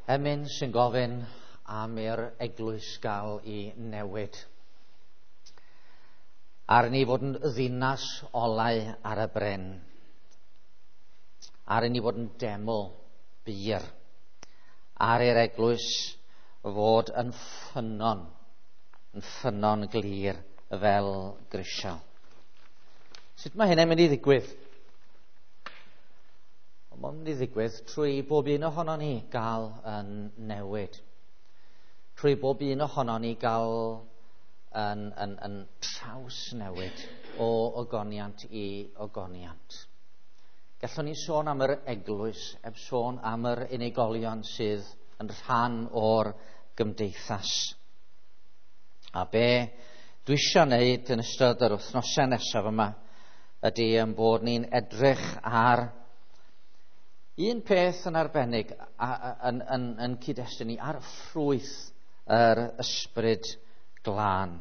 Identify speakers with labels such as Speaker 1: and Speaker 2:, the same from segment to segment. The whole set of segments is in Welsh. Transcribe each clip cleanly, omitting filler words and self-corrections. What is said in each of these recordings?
Speaker 1: Emyn sy'n gofyn am i'r eglwys gael ei newid. Ar ni fod yn ddinas olau ar y bryn. Ar ni fod yn deml bur. Ar i'r eglwys fod yn ffynnon glir fel grisial. Sut mae hynny'n mynd i ddigwydd? Mae'n mynd i ddigwydd trwy bob un ohono ni gael yn newid. Trwy bob un ohono ni gael yn trawsnewid o ogoniant i ogoniant. Gallwn ni sôn am yr eglwys, heb sôn am yr unigolion sydd yn rhan o'r gymdeithas. A be dwi eisiau wneud yn ystod yr wythnosau nesaf yma ydy yn bod ni'n edrych ar un peth yn arbennig yn cyd-destun ni ar ffrwyth yr ysbryd glân.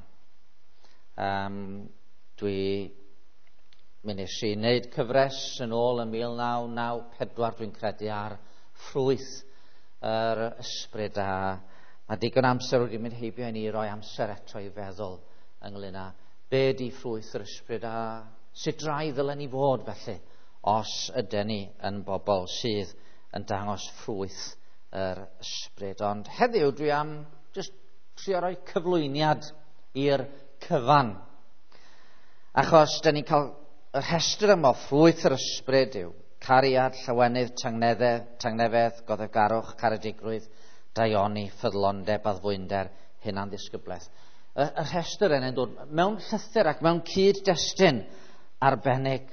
Speaker 1: Mi nes i wneud cyfres yn ôl yn 1994, dwi'n credu, ar ffrwyth yr ysbryd, a mae digon amser wedi mynd heibio i ni roi amser eto i feddwl ynglyn â be di ffrwyth yr ysbryd a sut rai ddylen ni fod felly os ydyn ni yn bobl sydd yn dangos ffrwyth yr ysbryd. Ond heddiw dwi am just trio rhoi cyflwyniad i'r cyfan. Achos dyn ni'n cael y rhestr yma o ffrwyth yr ysbryd yw cariad, llawenydd, tangnefedd, goddefgarwch, caredigrwydd, daioni, ffyddlondeb, addfwynder, hunanddisgyblaeth. Y rhestr yna'n dod mewn llythyr ac mewn cyd-destun arbennig.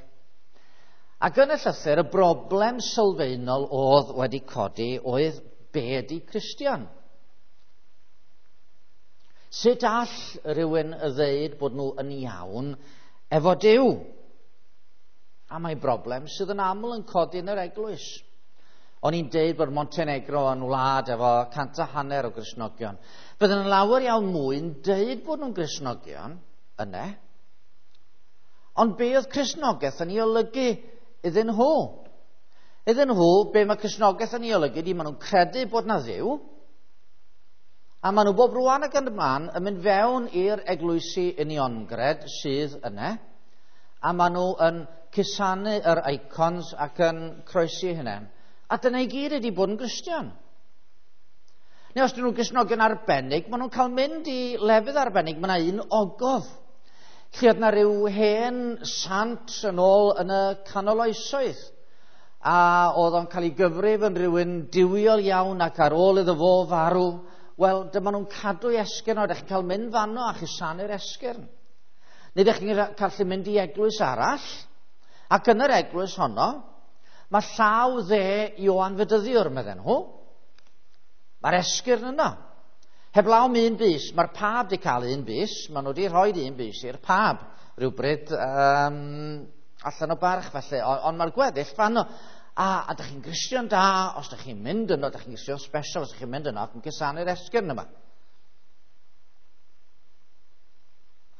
Speaker 1: Ac yn y llythyr, y broblem sylfaenol oedd wedi codi oedd be ydi Cristion? Sut all rhywun ddeud bod nhw yn iawn efo Duw? A mae broblem sydd yn aml yn codi yn yr eglwys. O'n i'n deud bod Montenegro yn wlad efo 150 o Gristnogion. Bydden yn lawer iawn mwy yn deud bod nhw'n Gristnogion yna. Ond be oedd Cristnogaeth yn ei olygu iddyn nhw? Iddyn nhw, be mae Cristnogaeth yn ei olygu, di maen nhw'n credu bod na Dduw, a maen nhw bob rwan ac yn y man yn mynd fewn i'r eglwysi uniongred sydd yna, a maen nhw yn cusanu yr icons ac yn croesi hynny. A dyna i gyd ydi bod yn Gristion. Neu os dyn nhw'n Gristnogion arbennig, maen nhw'n cael mynd i lefydd arbennig. Mae yna un ogof lle oedd yna rhyw hen sant yn ôl yn y canol oesoedd, a oedd o'n cael ei gyfrif yn rhywun duwiol iawn, ac ar ôl iddo fo farw, wel, dyma nhw'n cadw ei esgyrn o, ydych chi'n cael mynd fanno a chusanu'r esgyrn. Neu ydych chi'n cael mynd i eglwys arall, ac yn yr eglwys honno, mae llaw dde Ioan Fedyddiwr, medden nhw. Mae'r esgyrn yno. Heblaw am un bys, mae'r pab wedi cael un bys, maen nhw wedi rhoi un bys i'r pab rhywbryd allan o barch felly, ond mae'r gweddill fanno. A ydych chi'n Gristion da, os ydych chi'n mynd yno, ydych chi'n Gristion special, os ydych chi'n mynd yno ac yn cusanu'r esgyrn yma.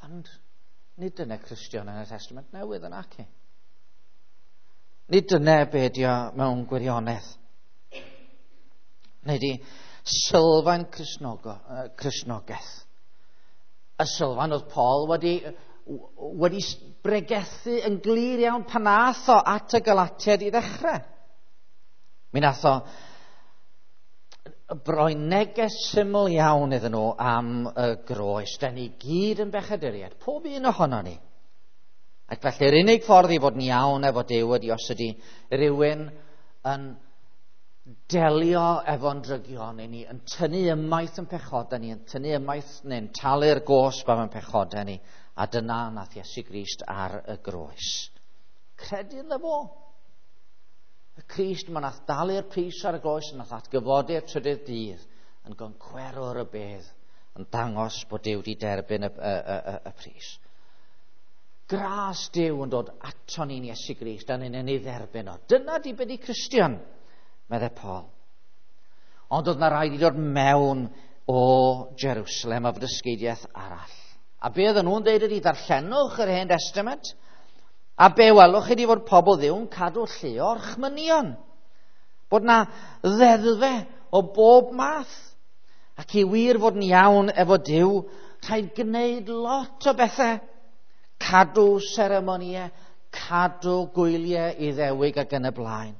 Speaker 1: Ond nid dyna Cristion yn y Testament Newydd yn aci. Nid dyna be ydi o mewn gwirionedd. Nid i sylfaen Cristnogaeth. Y sylfaen oedd Paul wedi bregethu yn glir iawn pan nath o at y Galatiaid i ddechrau. Mi nath o broi neges syml iawn iddyn nhw am y groes. Da ni gyd yn bechaduriaid, pob un ohono ni. Ac felly'r unig ffordd i fod yn iawn efo Duw ydy os ydy rhywun yn delio efo'n drygion i ni, yn tynnu ymaith yn pechodau ni, yn tynnu ymaith neu'n talu'r gosb am yn pechodau ni, a dyna nath Iesu Grist ar y groes. Credu ynddo fo. Y Crist ma nath dalu'r pris ar y groes, nath atgyfodi'r trydydd dydd, yn goncwerwr y bedd, yn dangos bod Duw wedi derbyn y pris. Gras Duw yn dod ato ni'n Iesu Grist, a ni'n ei dderbyn o. Dyna di be di Cristion, meddai Paul. Ond oedd na rhaid i dod mewn o Jerusalem a fod arall. A be oedden nhw'n dweud ydi, darllenwch yr Hen Testament, a be welwch ydi fod pobl Dduw yn cadw lle o'r chmynion. Bod na ddeddfe o bob math. Ac i wir fod yn iawn efo Duw, rhaid gwneud lot o bethau. Cadw seremonïau, cadw gwyliau Iddewig ac yn y blaen.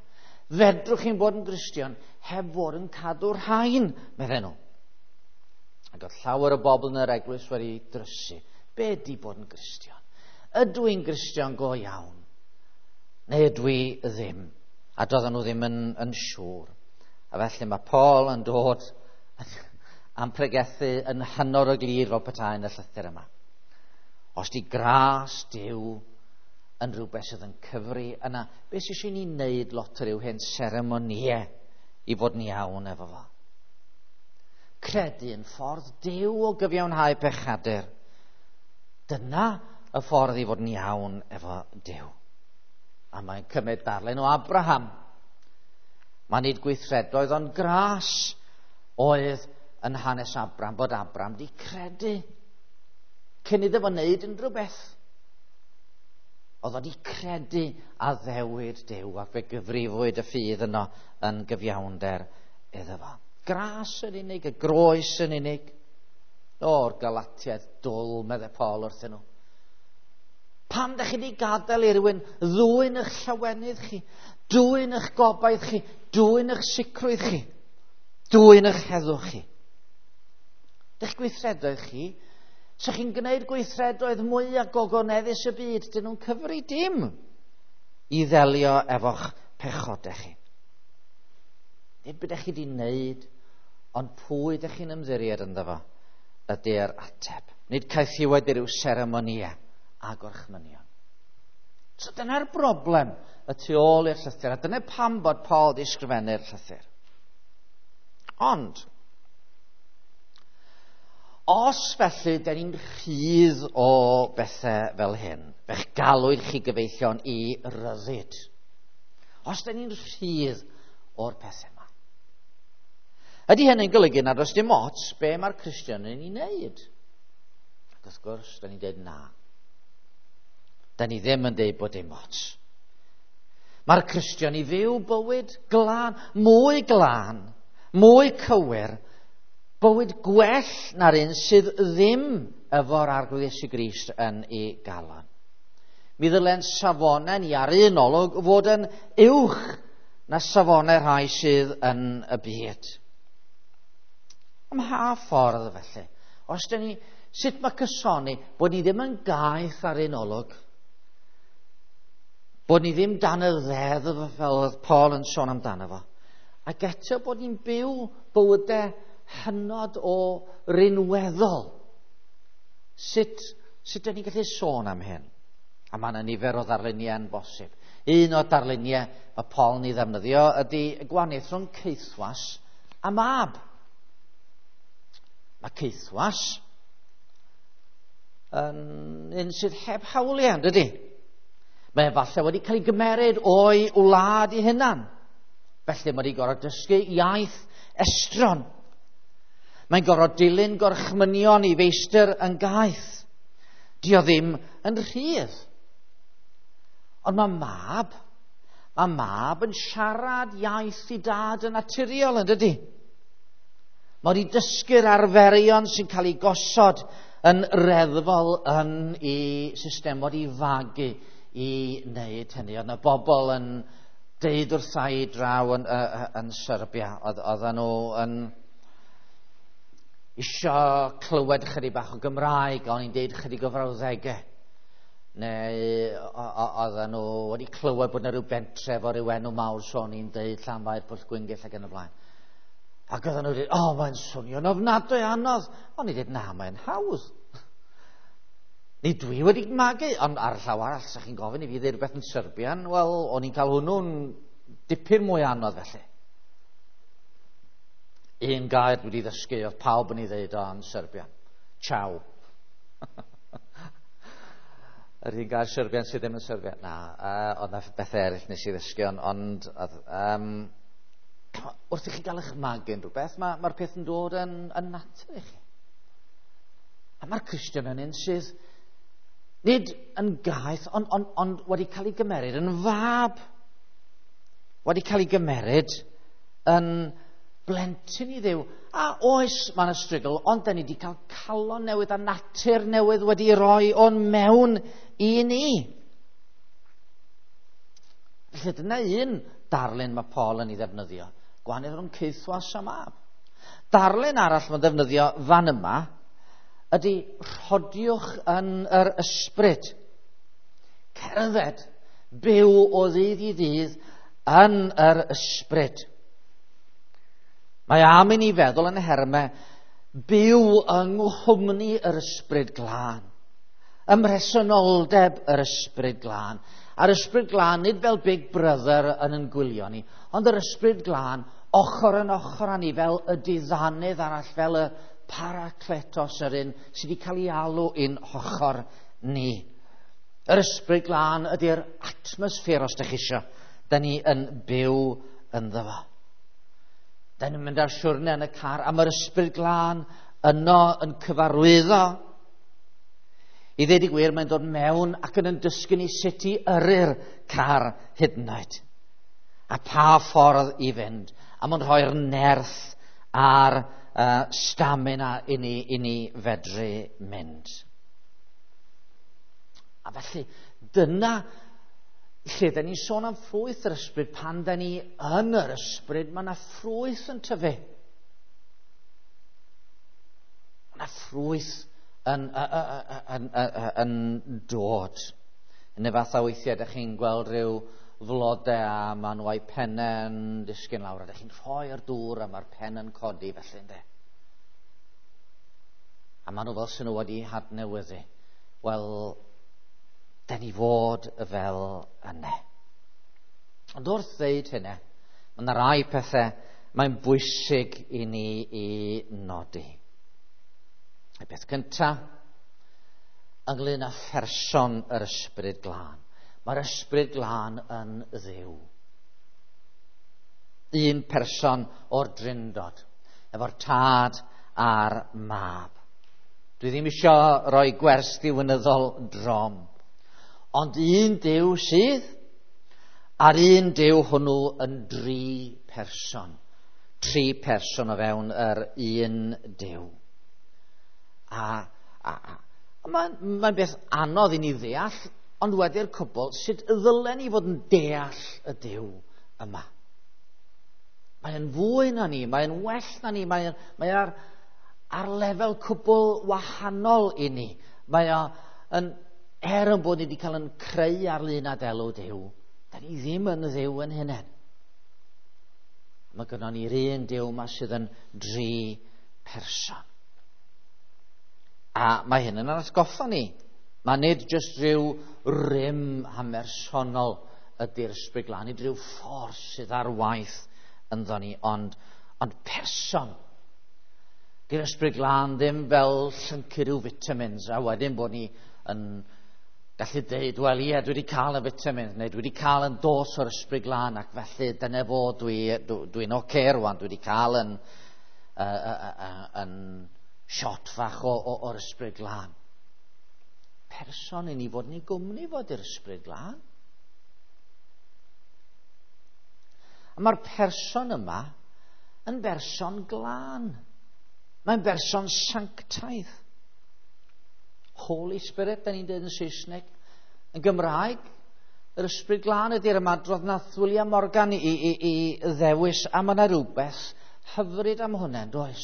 Speaker 1: Fedrwch chi'n bod yn Gristion heb fod yn cadw'r rhain, medden nhw. Ac oedd llawer o bobl yn yr eglwys wedi drysu. Be ydy bod yn Gristion? Ydw i'n Gristion go iawn? Neu ydw i ddim? A doedden nhw ddim yn siŵr. A felly mae Paul yn dod am pregethu yn hynod o glir fel petai yn y llythyr yma. Os di gras Duw yn rhywbeth sydd yn cyfri yna, beth sydd eisiau ni wneud lot o ryw hen seremonïau i fod yn iawn efo fo? Credu yn ffordd Duw o gyfiawnhau pechadur. Dyna y ffordd i fod yn iawn efo Duw. A mae'n cymryd darlun o Abraham. Mae nid gweithredoedd ond gras oedd yn hanes Abraham, bod Abraham di credu cyn iddo fo wneud unrhyw beth. Oedd o di credu addewid Duw ac fe gyfrifwyd y ffydd yno yn gyfiawnder iddo fo. Gras yn unig, y groes yn unig. O'r Galatiaid dwl, meddai Paul wrthyn nhw. Pam ydych chi wedi gadael i rywun ddwyn eich llawenydd chi, dwyn eich gobaith chi, dwyn eich sicrwydd chi, dwyn eich heddwch chi? Dych gweithredoedd chi, so chi'n gwneud gweithredoedd mwy a gogoneddus y byd, dyn nhw'n cyfri dim i ddelio efo'ch pechodau chi. Nid beth ydych chi wedi wneud, ond pwy ydych chi'n ymddiried ynddo fo ydy'r ateb. Nid caethiwed i ryw seremonïau a gorchmynion. So dyna'r broblem y tu ôl i'r llythyr, a dyna pam bod Paul wedi ysgrifennu'r llythyr. Ond, os felly dyn ni'n rhydd o bethau fel hyn, fe'ch galwyd chi gyfeillion i ryddid. Os dyn ni'n rhydd o'r pethau yma. Ydy hynny'n golygu nad oes dim ots be mae'r Cristion yn ei wneud? Ac wrth gwrs, dyn ni'n dweud na. Dyn ni ddim yn dweud bod dim ots. Mae'r Cristion i fyw bywyd glân, mwy glân, mwy cywir, bywyd gwell na'r un sydd ddim efo'r Arglwydd Iesu Grist yn ei galon. Mi ddylen safonau ni ar un olwg fod yn uwch na safonau rhai sydd yn y byd. Ym mha ffordd felly? Os dyn ni, sut mae cysoni bod ni ddim yn gaeth ar un olwg, bod ni ddim dan y ddeddf fel oedd Paul yn sôn amdano fo, ac eto bod ni'n byw bywydau hynod o rinweddol. Sut dyn ni'n gallu sôn am hyn? A mae yna nifer o ddarluniau yn bosib. Un o'r darluniau mae Paul yn ei ddefnyddio ydy y gwahaniaeth rhwng caethwas a mab. Mae caethwas yn un sydd heb hawliau, dydy? Mae falle wedi cael ei gymeryd o'i wlad ei hunan. Felly mae wedi gorfod dysgu iaith estron. Mae'n gorfod dilyn gorchmynion i feistr yn gaeth. Dio ddim yn rhydd. Ond mae mab yn siarad iaith i dad yn naturiol, yn dydy? Mae wedi dysgu'r arferion sy'n cael ei gosod yn reddfol yn ei system, wedi fagu i wneud hynny. Oedd yna bobl yn deud wrtha i draw yn Serbia, oedden nhw yn isio clywed chydig bach o Gymraeg, o'n i'n deud chydig o frawddegau. Neu oedden nhw wedi clywed bod yna rhyw bentref o ryw enw mawr, so o'n i'n deud Llanfair, Pwllgwyngyll ac yn y blaen. Ac oedden nhw wedi dweud, mae'n swnio'n ofnadwy anodd. O'n i'n dweud, na, mae'n hawdd. Ni dwi wedi magu, ond ar y llaw arall, sa chi'n gofyn i fi ddeud rhywbeth yn Serbian, wel, o'n i'n cael hwnnw'n dipyn mwy anodd felly. Un gair dwi wedi ddysgu, oedd pawb yn ei ddeud o yn Serbian. Ciao. Yr un gair Serbian sydd ddim yn Serbian. Na, oedd na bethau eraill nes i ddysgu, ond wrth i chi gael eich magu yn rhywbeth, mae'r peth yn dod yn natur i chi. A mae'r Cristion yn un sydd nid yn gaeth, ond wedi cael ei gymeryd yn fab. Wedi cael ei gymeryd yn blentyn i Dduw. A oes, mae yna strygl, ond da ni wedi cael calon newydd a natur newydd wedi roi o'n mewn i ni. Felly dyna un darlun mae Paul yn ei ddefnyddio. Gwahaniaeth rhwng caethwas a mab. Darlun arall mae'n ddefnyddio fan yma ydy rhodiwch yn yr ysbryd. Cerdded, byw o ddydd i ddydd yn yr ysbryd. Mae am i ni feddwl yn hermau byw yng nghwmni yr Ysbryd Glân. Ym mhresenoldeb yr Ysbryd Glân. A'r Ysbryd Glân nid fel Big Brother yn yn gwylio ni, ond yr Ysbryd Glân ochr yn ochr â ni fel y diddanydd arall, fel y parakletos, yr un sydd wedi cael ei alw i'n hochr ni. Yr Ysbryd Glân ydy'r atmosffer, os ydych chi eisiau, da ni yn byw ynddo fo. Da ni'n mynd ar siwrne yn y car, a mae'r Ysbryd Glân yno yn cyfarwyddo. I ddweud y gwir, mae'n dod mewn ac yn dysgu ni sut i yrru'r car hyd yn oed. A pa ffordd i fynd. A mae'n rhoi'r nerth a'r stamina i ni fedru mynd. A felly, dyna lle da ni'n sôn am ffrwyth yr ysbryd. Pan da ni yn yr ysbryd, mae yna ffrwyth yn tyfu. Mae yna ffrwyth yn dod. Yn y fath o weithiau, da chi'n gweld rhyw flodau a maen nhw a'u pennau yn disgyn lawr, a da chi'n rhoi'r dŵr a mae'r pen yn codi felly, ynddo. A maen nhw fel sy'n nhw wedi hadnewyddu. Wel, da ni fod fel yna. Ond wrth ddeud hynny, mae yna rai pethau mae'n bwysig i ni i nodi. Y peth cyntaf, ynglyn â pherson yr Ysbryd Glân. Mae'r Ysbryd Glân yn Dduw. Un person o'r Drindod, efo'r Tad a'r Mab. Dwi ddim eisiau rhoi gwers ddiwinyddol drom. Ond un Duw sydd, a'r un Duw hwnnw yn dri person. Tri person o fewn yr un Duw. A mae'n beth anodd i ni ddeall, ond wedi'r cwbl, sut ddylen ni fod yn deall y Duw yma? Mae'n fwy na ni, mae'n well na ni, mae ar lefel cwbl wahanol i ni. Mae o yn, er yn bod ni wedi cael yn creu ar lun a delw Duw, da ni ddim yn Dduw yn hunain. Mae gynnon ni'r un Duw yma sydd yn dri person. A mae hyn yn atgoffa ni. Mae nid jyst rhyw rym hamersonol ydy'r Ysbryd Glân, nid rhyw ffordd sydd ar waith ynddo ni, ond person. Dy'r Ysbryd Glân ddim fel llyncu rhyw vitamins, a wedyn bod ni yn gallu deud, wel ie, dwi wedi cael y vitamins, neu dwi wedi cael yn dos o'r Ysbryd Glân, ac felly dyna fo, dwi'n oce rwan, dwi wedi cael yn shot fach o'r Ysbryd Glân. Person i ni fod yn ei gwmni fod i'r Ysbryd Glân. A mae'r person yma yn berson glân. Mae'n berson sanctaidd. Holy Spirit, da ni'n dweud yn Saesneg. Yn Gymraeg, yr Ysbryd Glân ydy'r ymadrodd nath William Morgan i ddewis, a mae yna rhywbeth hyfryd am hwnna, does?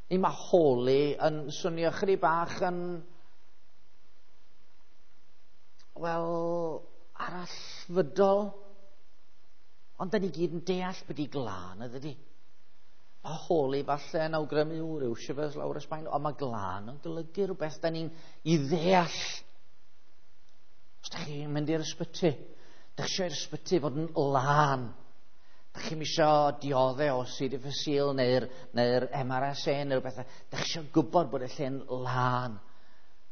Speaker 1: Ni mae holy yn swnio chydig bach yn, wel, arallfydol. Ond da ni gyd yn deall beth i glân, ydy. Mae holy falle yn awgrymu rhyw shivers lawr y sbaen, ond mae glân yn golygu rhywbeth da ni'n i ddeall. Os da chi'n mynd i'r ysbyty, da chi eisiau i'r ysbyty fod yn lân. Da chi'n eisiau dioddau o C. difficile neu'r MRSA neu rhywbeth. Da chi eisiau gwybod bod y lle'n lân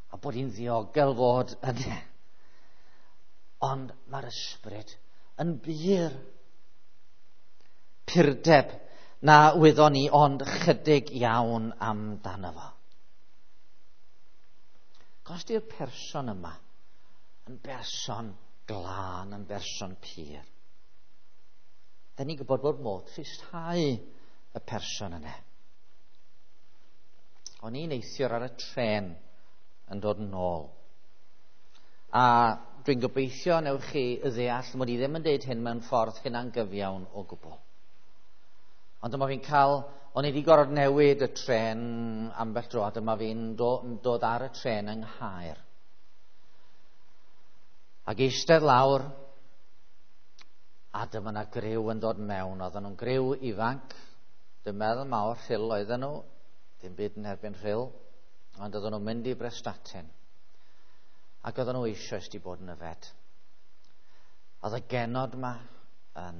Speaker 1: a bod hi'n ddiogel fod yna. Ond mae'r ysbryd yn bur. Purdeb na wyddon ni ond chydig iawn amdano fo. Cos di'r person yma yn berson glân, yn berson pur. Da ni'n gwybod bod modd tristhau y person yna. O'n i'n neithiwr ar y trên yn dod yn ôl. A dwi'n gobeithio newch chi ddeall mod i ddim yn deud hyn mewn ffordd hunangyfiawn o gwbl. Ond dyma fi'n cael, o'n i wedi gorfod newid y trên ambell dro, a dyma fi'n dod ar y trên yng Nghaer. Ac eistedd lawr, a dyma 'na griw yn dod mewn. Oedden nhw'n griw ifanc, dwi'n meddwl mawr Rhyl oedden nhw, dim byd yn erbyn Rhyl, ond oedden nhw'n mynd i Brestatyn. Ac oedden nhw eisoes wedi bod yn yfed. Oedd y genod yma yn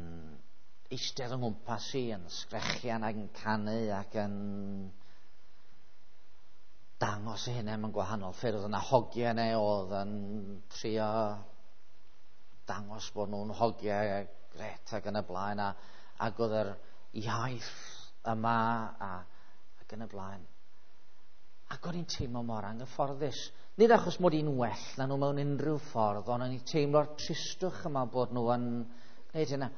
Speaker 1: eistedd yng nghwmpas i, yn sgrechian ac yn canu ac yn dangos eu hunain mewn gwahanol ffyrdd. Oedd yna hogiau yna oedd yn trio dangos bod nhw'n hogiau gret ac yn y blaen, ac oedd yr iaith yma ac yn y blaen. Ac o'n i'n teimlo mor anghyfforddus. Nid achos mod i'n well na nhw mewn unrhyw ffordd, ond o'n i'n teimlo'r tristwch yma bod nhw yn gwneud hynna.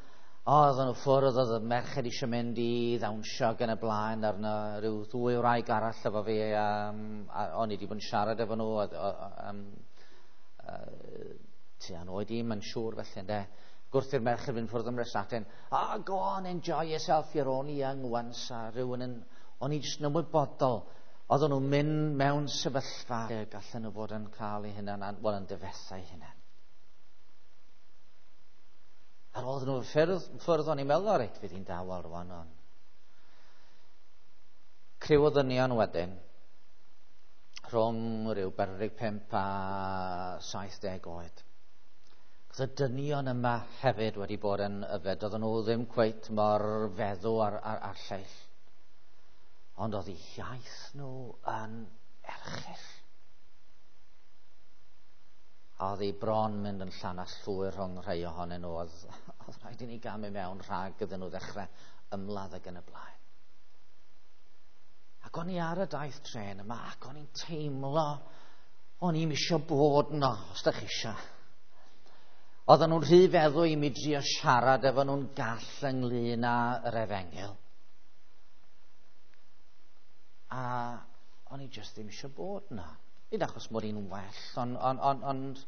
Speaker 1: O, oedden nhw ffwrdd, oedd y merched eisiau mynd i ddawnsio ac yn y blaen, ar yna rhyw ddwy wraig arall efo fi, a o'n i wedi bod yn siarad efo nhw, tua'n oed i, mae'n siŵr felly, ynde. Gwrth i'r merched fynd ffwrdd am Brestatyn, oh, go on, enjoy yourself, you're only young once, a rhywun yn, o'n i jyst yn ymwybodol, oedden nhw'n mynd mewn sefyllfa lle gallen nhw fod yn cael eu hunain, wel, yn difetha eu hunain. Ar ôl nhw ffyrdd, o'n i'n meddwl, o reit, fydd hi'n dawel rwan, ond. Criw o ddynion wedyn, rhwng rhyw 45 a 70 oed. Cos y dynion yma hefyd wedi bod yn yfed, oedden nhw ddim cweit mor feddw ar lleill. Ond oedd eu hiaith nhw yn erchyll. A oedd ei bron mynd yn llanast llwyr rhwng rhai ohonyn nhw. Oedd rhaid i ni gamu mewn rhag iddyn nhw ddechrau ymladd ac yn y blaen. Ac o'n i ar y daith tren yma, ac o'n i'n teimlo, o'n i'm eisiau bod yno, os da chi eisiau. Oedden nhw'n rhy feddw i mi drio siarad efo nhw'n gall ynglyn â'r efengyl. A o'n i jyst ddim eisiau bod yna. Nid achos mod i'n well, ond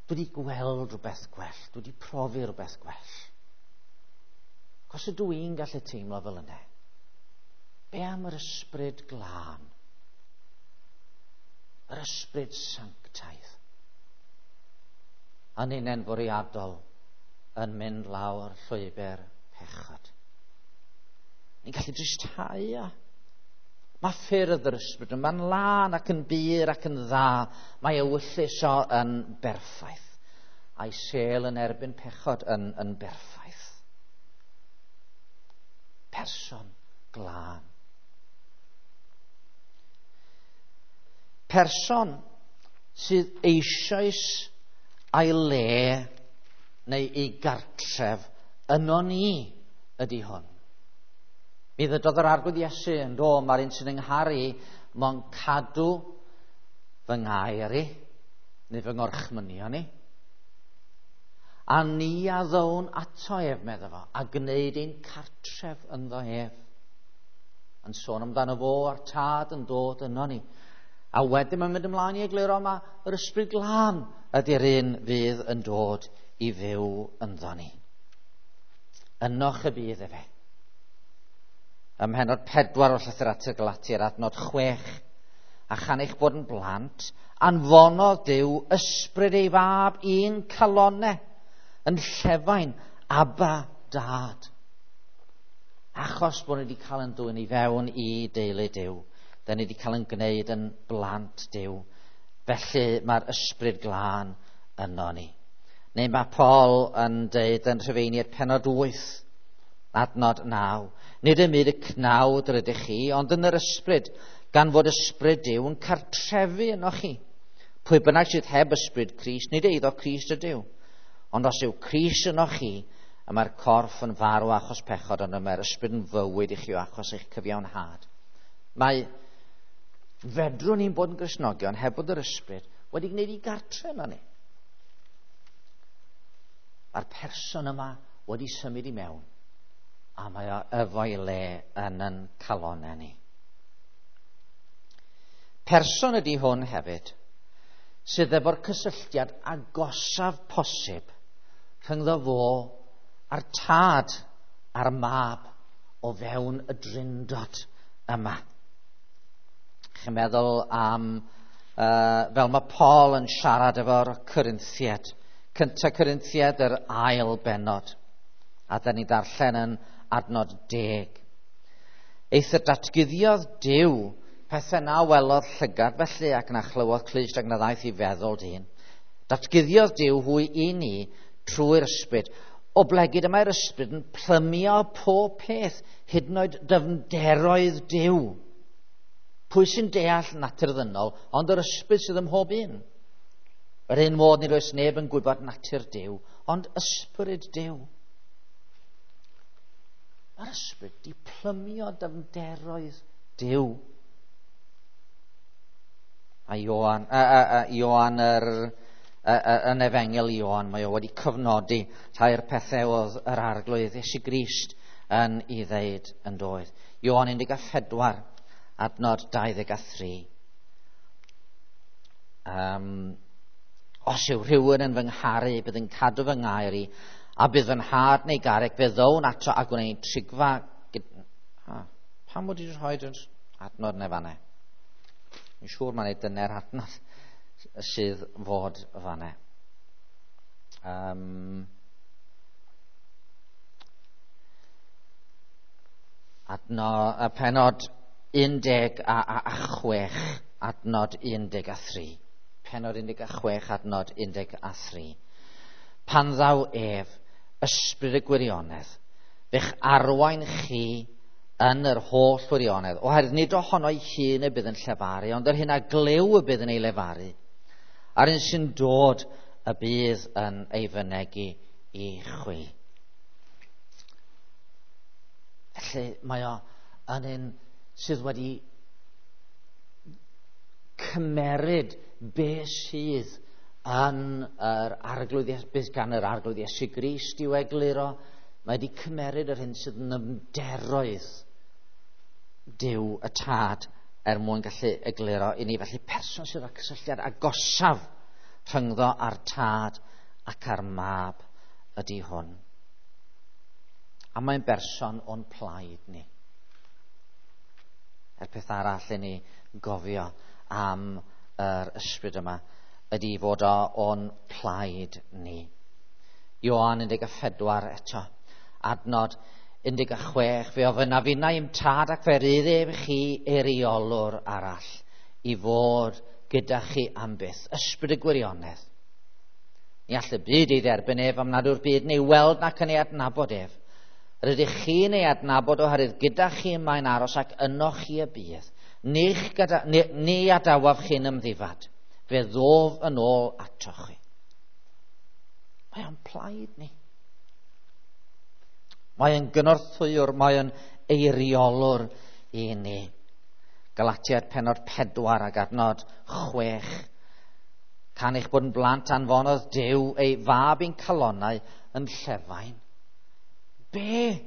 Speaker 1: dwi wedi gweld rhywbeth gwell, dwi wedi profi rhywbeth gwell. Cos ydw i'n gallu teimlo fel yna? Be am yr ysbryd glân? Yr ysbryd sanctaidd? A ninnau'n fwriadol yn mynd lawr llwybr pechod. Ni'n gallu dristhau a. Mae ffyrdd yr ysbryd yma'n lân ac yn bur ac yn dda. Mae ewyllys o yn berffaith. A'i sêl yn erbyn pechod yn berffaith. Person glân. Person sydd eisoes a'i le neu ei gartref yno ni ydy hwn. Mi ddydodd yr Arglwydd Iesu yn do, mae'r un sy'n yngharu mo'n cadw fy ngair i, neu fy ngorchmynion i. A ni a ddown ato ef, medda fo, a gwneud ein cartref ynddo ef. Yn sôn amdano fo a'r tad yn dod yno ni. A wedyn mae'n mynd ymlaen i egluro yma, yr ysbryd glân ydy'r un fydd yn dod i fyw ynddo ni. Ynoch y bydd efe. Ym mhennod 4 o'r llythyr at y Galatiaid, adnod 6, a chan eich bod yn blant, anfonodd Duw ysbryd ei fab i'n calonau, yn llefain, Abba, Dad. Achos bod ni wedi cael yn dwyn i fewn i deulu Duw, da ni wedi cael yn gwneud yn blant Duw. Felly mae'r ysbryd glân yno ni. Neu mae Paul yn deud yn Rhufeiniaid pennod 8, adnod 9. Nid ym myd y cnawd yr ydych chi, ond yn yr ysbryd, gan fod ysbryd Duw yn cartrefu yno chi. Pwy bynnag sydd heb ysbryd Crist, nid eiddo Crist ydyw. Ond os yw Crist yno chi, y mae'r corff yn farw achos pechod, ond y mae'r ysbryd yn fywyd i chi o achos eich cyfiawnhad. Mae fedrwn ni'n bod yn Gristnogion heb bod yr ysbryd wedi gwneud i gartre yno ni. Mae'r person yma wedi symud i mewn, a mae o efo'i le yn yn calonau ni. Person ydy hwn hefyd, sydd efo'r cysylltiad agosaf posib rhyngddo fo a'r Tad a'r Mab o fewn y Drindod yma. Chi'n meddwl am, fel mae Paul yn siarad efo'r Corinthiaid, 1 Corinthiaid yr ail bennod, a da ni darllen yn adnod 10. Eithr datguddiodd Duw pethau na welodd llygad felly ac na chlywodd clust ac na ddaeth i feddwl dyn. Datguddiodd Duw hwy i ni trwy'r ysbryd, oblegid y mae'r ysbryd yn plymio pob peth, hyd yn oed dyfnderoedd Duw. Pwy sy'n deall natur ddynol, ond yr ysbryd sydd ym mhob un. Yr un modd nid oes neb yn gwybod natur Duw, ond ysbryd Duw. Mae'r ysbryd di plymio dyfnderoedd Duw. A Ioan, Ioan yn Efengyl Ioan, mae o wedi cyfnodi rhai'r pethau oedd yr Arglwydd Iesu Grist yn ei ddeud yn doedd. Ioan 14, adnod 23. Os yw rhywun yn fy ngharu, bydd yn cadw fy ngair i, a bydd fy nhad neu garreg, fe ddown ato a gwneud trigfa. Pam wedi rhoi'r adnod neu fanne? Yn siŵr mae'n ei dyne'r adnod sydd fod fanne. Adnod, penod 16, adnod 13. Penod 16, adnod 13. Pan ddaw ef, ysbryd y gwirionedd, fe'ch arwain chi yn yr holl wirionedd, oherwydd nid ohono'i hun y bydd yn llefaru, ond yr hyn a glyw y bydd yn ei lefaru, a'r un sy'n dod y bydd yn ei fynegi i chwi. Felly mae o yn un sydd wedi cymeryd be sydd yn yr Arglwydd, beth gan yr Arglwydd Iesu Grist i'w egluro. Mae wedi cymeryd yr hyn sydd yn ymderoedd Duw y Tad er mwyn gallu egluro i ni. Felly person sydd â cysylltiad agosaf rhyngddo â'r Tad ac â'r Mab ydy hwn. A mae'n berson o'n plaid ni. Er peth arall i ni gofio am yr ysbryd yma ydy fod o o'n plaid ni. Ioan 14 eto, adnod 16, fe ofynna finnau i'm tad ac fe rydd ef chi eiriolwr arall i fod gyda chi am byth, ysbryd y gwirionedd. Ni all y byd ei dderbyn ef am nad yw'r byd neu weld nac yn ei adnabod ef. Rydych chi'n ei adnabod oherwydd gyda chi mae'n aros ac yno chi y bydd. Ni adawaf chi'n ymddifad. Fe ddof yn ôl atoch chi. Mae o'n plaid ni. Mae yn gynorthwywr, mae yn eiriolwr i ni. Galatiaid penod 4 ac adnod 6. Can eich bod yn blant anfonodd Duw ei fab i'n calonnau yn llefain. Be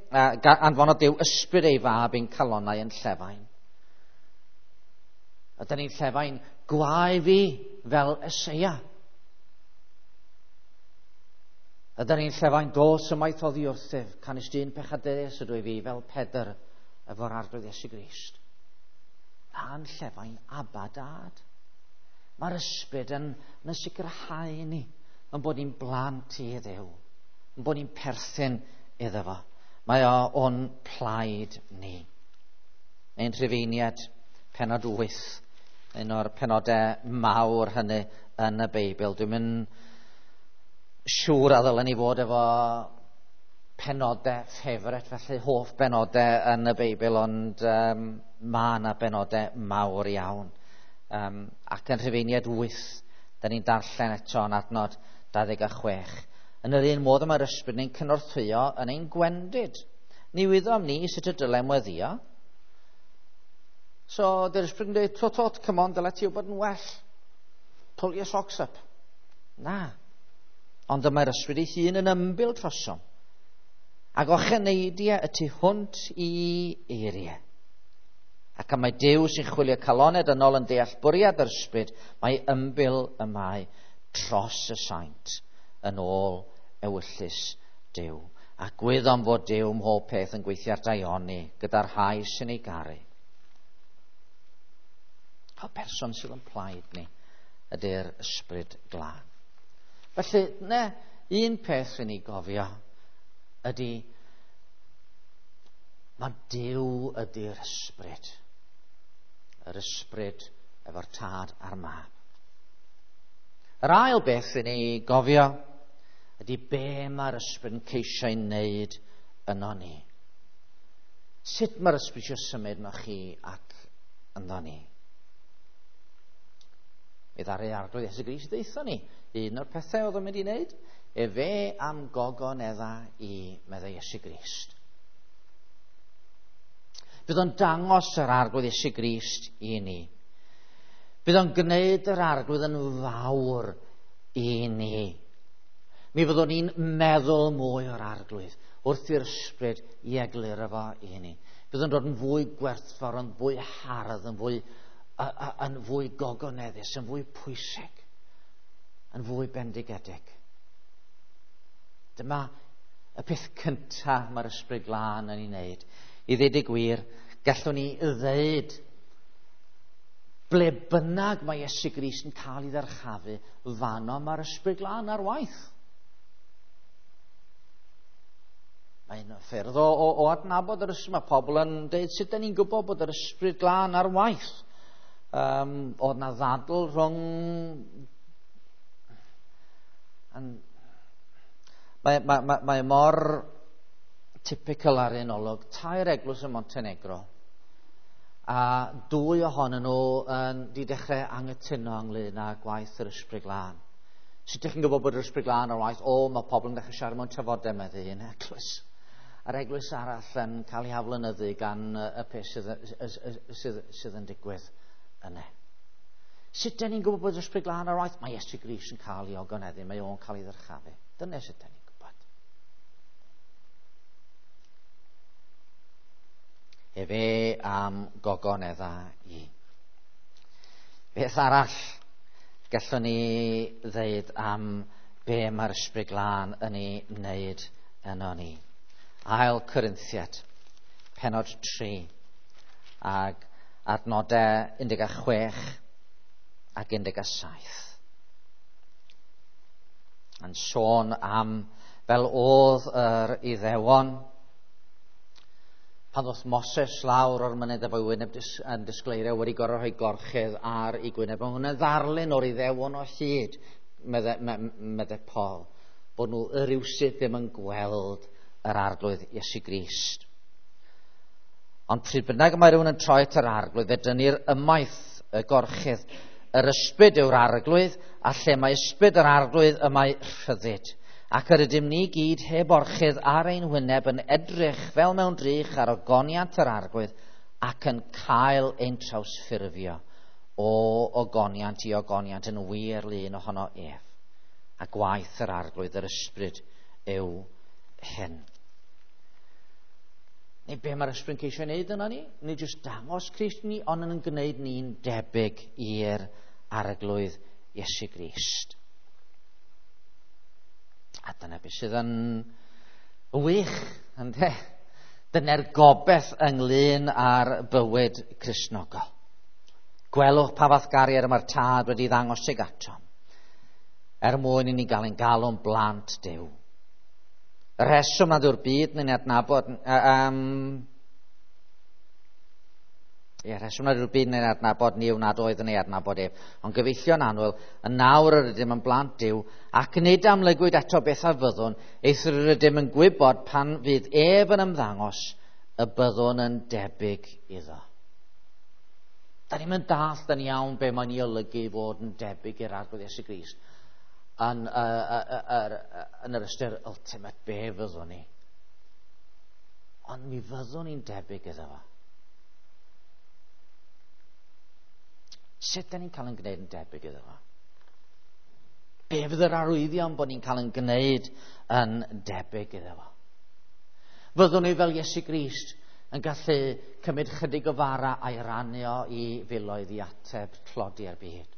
Speaker 1: anfonodd Duw ysbryd ei fab i'n calonnau yn llefain. A dyn ni'n llefain gwae fi fel Eseia. A dyn ni'n llefain dos ymaith oddi wrthyf, canys dyn pechadurus ydw i fi fel Pedr efo'r Arglwydd Iesu Grist. A'n llefain Abba Dad. Mae'r ysbryd yn sicrhau ni yn bod ni'n blant i Dduw, yn bod ni'n perthyn iddo fo. Mae o o'n plaid ni. Ein Rhufeiniaid, penod 8, un o'r penodau mawr hynny yn y Beibl. Dwi'n mynd siŵr a ddylen ni fod efo penodau ffefret, felly hoff benodau yn y Beibl, ond mae yna benodau mawr iawn. Ac yn Rhufeiniaid 8, da ni'n darllen eto yn adnod 26. Yn yr un modd mae'r ysbryd ni'n cynorthwyo yn ein gwendid. Ni wyddom ni sut y dylem weddio. So, dy'r ysbryd yn dweud, tot, come on, dyle ti wybod yn well. Pull your socks up. Na. Ond y mae'r ysbryd ei hun yn ymbil trosom, ac ocheneidiau y tu hwnt i eiriau. Ac am mae Duw sy'n chwilio calonau dynol yn deall bwriad yr ysbryd, mae ymbil y mae dros y saint yn ôl ewyllys Duw. A gwyddom fod Duw mhob peth yn gweithio ar daioni gyda'r rhai sy'n ei garu. O person sydd yn plaid ni ydy'r ysbryd glân. Felly, ne, un peth i ni gofio ydy mae Duw ydy'r ysbryd. Yr ysbryd efo'r tad a'r mab. Yr ail beth i ni gofio ydy be mae'r ysbryd yn ceisio ei wneud yno ni. Sut mae'r ysbryd eisiau symud yno chi ac ynddo ni? Mi ddaru Arglwydd Iesu Grist ddeutho ni. Un o'r pethau oedd o'n mynd i wneud, efe am gogonedda i, meddai Iesu Grist. Bydd o'n dangos yr Arglwydd Iesu Grist i ni. Bydd o'n gwneud yr Arglwydd yn fawr i ni. Mi fyddwn ni'n meddwl mwy o'r Arglwydd wrth i'r ysbryd i egluro fo i ni. Bydd o'n dod yn fwy gwerthfawr, yn fwy hardd, yn fwy gogoneddus, yn fwy pwysig, yn fwy bendigedig. Dyma y peth cyntaf mae'r ysbryd glân yn ei wneud. I ddweud y gwir, gallwn ni ddeud ble bynnag mae Iesu Grist yn cael ei ddyrchafu, fanno mae'r ysbryd glân ar waith. Mae'n ffyrdd o adnabod yr ysbryd. Mae pobl yn dweud, sut da ni'n gwybod bod yr ysbryd glân ar waith? Oedd na ddadl rhwng... Mae mor typical ar un olwg. 3 eglwys yn Montenegro, a 2 ohonyn nhw di dechrau anghytuno ynglyn â gwaith yr ysbryd glân. Sut ydych chi'n gwybod bod yr ysbryd glân ar waith? O, mae pobl yn dechrau siarad mewn tafodau, meddai un eglwys. A'r eglwys arall yn cael ei haflynyddu gan y peth sydd yn digwydd yna. Sut ydyn ni'n gwybod bod yr ysbryd glân ar waith? Mae Iesu Grist yn cael ei ogoneddu, mae o'n cael ei ddyrchafu. Dyna sut ydyn ni'n gwybod. Efe am gogonedda i. Beth arall gallwn ni ddeud am be mae'r ysbryd glân yn ei wneud yno ni? Ail Corinthiad, penod 3, ag adnodau 16 ac 17. Yn sôn am fel oedd yr Iddewon pan ddoth Moses lawr o'r mynydd efo'i wyneb yn disgleirio, wedi gorfod rhoi gorchudd ar ei gwyneb. Mae hwnna'n ddarlun o'r Iddewon o hyd, medde Paul, bod nhw rywsut ddim yn gweld yr Arglwydd Iesu Grist. Ond pryd bynnag mae rhywun yn troi at yr Arglwydd, fe dynnir ymaith y gorchudd. Yr ysbryd yw'r Arglwydd, a lle mae ysbryd yr Arglwydd y mae rhyddid. Ac yr ydym ni gyd heb orchudd ar ein hwyneb yn edrych fel mewn drych ar ogoniant yr Arglwydd ac yn cael ein trawsffurfio o ogoniant i ogoniant yn wir lun ohono ef. A gwaith yr Arglwydd yr ysbryd yw hyn. Neu be mae'r ysbryd yn ceisio wneud yna ni? Nid jyst dangos Crist ni, ond yn gwneud ni'n debyg i'r Arglwydd Iesu Grist. A dyna beth sydd yn wych, ynde? Dyna'r gobaith ynglyn â'r bywyd Cristnogol. Gwelwch pa fath gariad mae'r Tad wedi ddangos tuag atom, er mwyn i ni gael ein galw'n blant Duw. Y rheswm nad yw'r byd yn ei adnabod, rheswm nad yw'r byd yn ei adnabod ni yw nad oedd yn ei adnabod ef. Ond gyfeillion annwyl, yn nawr yr ydym yn blant Duw, ac nid amlygwyd eto beth a fyddwn, eithr yr ydym yn gwybod pan fydd ef yn ymddangos y byddwn yn debyg iddo. Da ni'n mynd dallt yn iawn be mae'n ei olygu i fod yn debyg i'r Arglwydd Iesu Grist yn yr ystyr ultimate be fyddwn ni. Ond mi fyddwn ni'n debyg iddo fo. Sut da ni'n cael ein gwneud yn debyg iddo fo? Be fydd yr arwyddion bod ni'n cael yn gwneud yn debyg iddo fo? Fyddwn ni fel Iesu Grist yn gallu cymryd chydig o fara a'i rannu o i filoedd i ateb tlodi'r byd?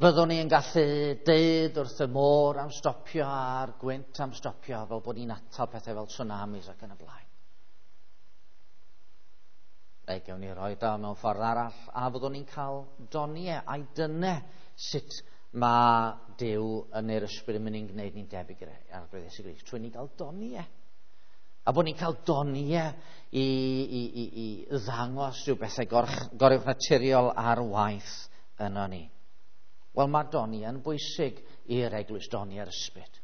Speaker 1: Fyddwn ni yn gallu deud wrth y môr am stopio a'r gwynt am stopio fel bod ni'n atal pethau fel tsunamis ac yn y blaen? Neu gewn ni roi o mewn ffordd arall, a fyddwn ni'n cael doniau a'i dyne sut mae Duw yn neu'r ysbryd yn mynd i'n gwneud ni'n debyg i'r Arglwydd Iesu Grist, trwy ni gael doniau. A bod ni'n cael doniau i ddangos rhyw bethau goruwchnaturiol ar waith yno ni. Wel, mae doniau yn bwysig i'r eglwys, doniau'r ysbryd.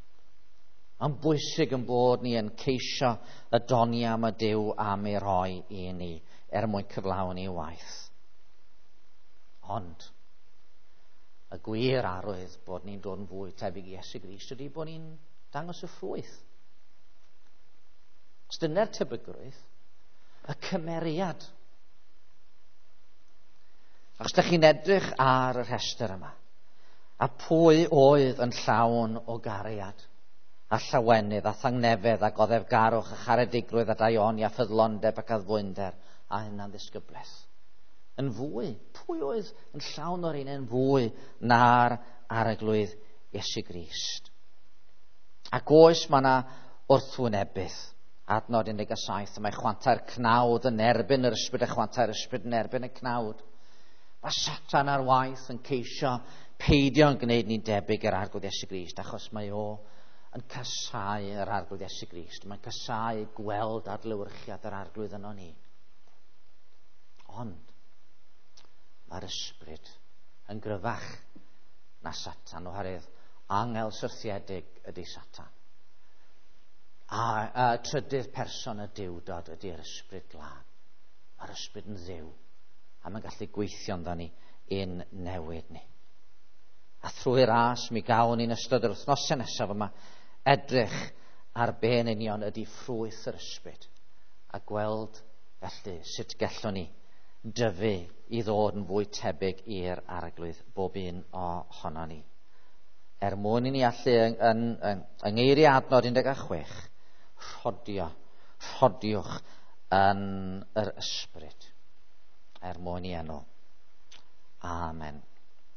Speaker 1: Yn bwysig yn bod ni yn ceisio y doniau am y Duw am ei roi i ni er mwyn cyflawni waith. Ond y gwir arwydd bod ni'n dod yn fwy tebyg i Iesu Grist ydy bod ni'n dangos y ffrwyth. Os dyna'r tebygrwydd, y cymeriad. Os ydych chi'n edrych ar y rhestr yma, a pwy oedd yn llawn o gariad, a llawenydd, a thangnefedd, a goddefgarwch, a charedigrwydd, a daioni, a ffyddlondeb, ac addfwynder, a hunan ddisgyblaeth. Yn fwy, pwy oedd yn llawn o'r un yn fwy na'r Arglwydd Iesu Grist? Ac oes mae yna wrthwynebydd. Adnod 17, mae chwantau'r cnawd yn erbyn yr ysbryd a chwantau'r ysbryd yn erbyn y cnawd. Mae Satan ar waith yn ceisio peidio yn gwneud ni'n debyg i'r Arglwydd Iesu Grist, achos mae o yn casáu yr Arglwydd Iesu Grist. Mae'n casáu gweld adlewyrchiad yr Arglwydd yno ni. Ond mae'r ysbryd yn gryfach na Satan, oherwydd angel syrthiedig ydy Satan. A trydydd person y Duwdod ydy'r ysbryd glân. Mae'r ysbryd yn Dduw, a mae'n gallu gweithio ynddo ni i'n newid ni. A thrwy ras mi gawn ni'n ystod yr wythnosau nesaf yma edrych ar be yn union ydy ffrwyth yr ysbryd, a gweld felly sut gallwn ni dyfu i ddod yn fwy tebyg i'r Arglwydd bob un ohono ni. Er mwyn i ni allu yng ngeiriau adnod 16, rhodiwch yn yr ysbryd, er mwyn i enw. Amen.